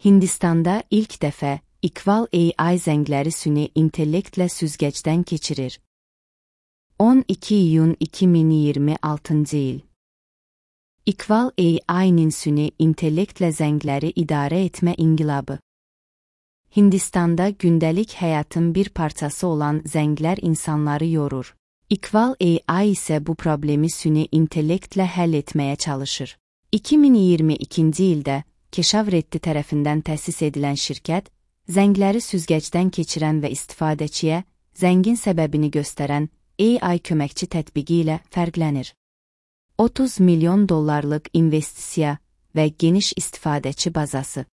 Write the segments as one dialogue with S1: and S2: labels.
S1: Hindistanda ilk dəfə Equal AI zəngləri süni intellektlə süzgəcdən keçirir. 12 iyun 2026 il. Equal AI-nin süni intellektlə zəngləri idarə etmə inqilabı. Hindistanda gündəlik həyatın bir parçası olan zənglər insanları yorur. Equal AI isə bu problemi süni intellektlə həll etməyə çalışır. 2022-ci ildə Keshav Reddy tərəfindən təsis edilən şirkət, zəngləri süzgəcdən keçirən və istifadəçiyə zəngin səbəbini göstərən AI köməkçi tətbiqi ilə fərqlənir. 30 milyon dollarlıq investisiya və geniş istifadəçi bazası.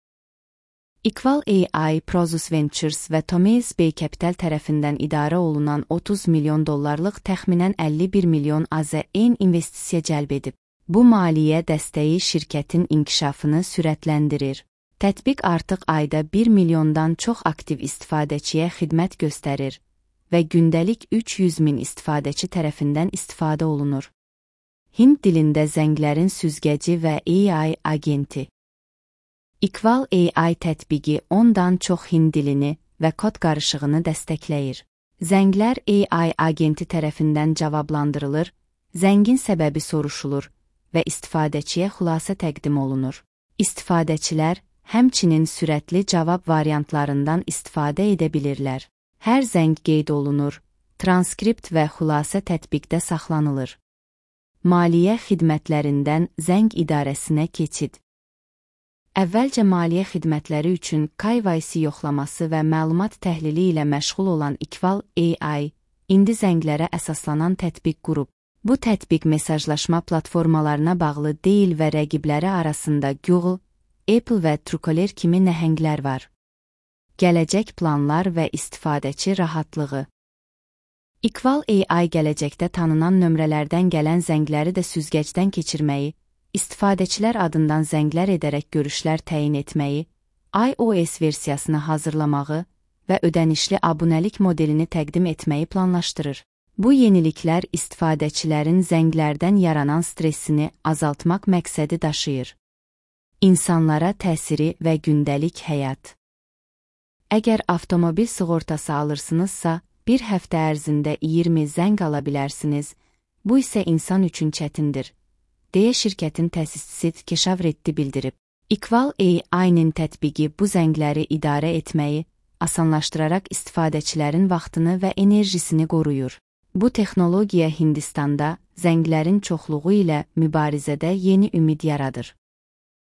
S1: Equal AI, Prosus Ventures və Thomas Bay Capital tərəfindən idarə olunan 30 milyon dollarlıq təxminən 51 milyon AZN investisiya cəlb edib. Bu maliyyə dəstəyi şirkətin inkişafını sürətləndirir. Tətbiq artıq ayda 1 milyondan çox aktiv istifadəçiyə xidmət göstərir və gündəlik 300 min istifadəçi tərəfindən istifadə olunur. Hind dilində zənglərin süzgəci və AI agenti. Equal AI tətbiqi 10-dan çox hind dilini və kod qarışığını dəstəkləyir. Zənglər AI agenti tərəfindən cavablandırılır, zəngin səbəbi soruşulur və istifadəçiyə xülasə təqdim olunur. İstifadəçilər həmçinin sürətli cavab variantlarından istifadə edə bilirlər. Hər zəng qeyd olunur, transkript və xülasə tətbiqdə saxlanılır. Maliyyə xidmətlərindən zəng idarəsinə keçid. Əvvəlcə maliyyə xidmətləri üçün KYC yoxlaması və məlumat təhlili ilə məşğul olan Equal AI, indi zənglərə əsaslanan tətbiq qurub. Bu tətbiq mesajlaşma platformalarına bağlı deyil və rəqibləri arasında Google, Apple və Truecaller kimi nəhənglər var. Gələcək planlar və istifadəçi rahatlığı. Equal AI gələcəkdə tanınan nömrələrdən gələn zəngləri də süzgəcdən keçirməyi, istifadəçilər adından zənglər edərək görüşlər təyin etməyi, iOS versiyasını hazırlamağı və ödənişli abunəlik modelini təqdim etməyi planlaşdırır. Bu yeniliklər istifadəçilərin zənglərdən yaranan stressini azaltmaq məqsədi daşıyır. İnsanlara təsiri və gündəlik həyat. Əgər avtomobil sığortası alırsınızsa, bir həftə ərzində 20 zəng ala bilərsiniz, bu isə insan üçün çətindir, deyə şirkətin təsisçisi Keshav Reddy bildirib. Equal AI-nin tətbiqi bu zəngləri idarə etməyi, asanlaşdıraraq istifadəçilərin vaxtını və enerjisini qoruyur. Bu texnologiya Hindistanda zənglərin çoxluğu ilə mübarizədə yeni ümid yaradır.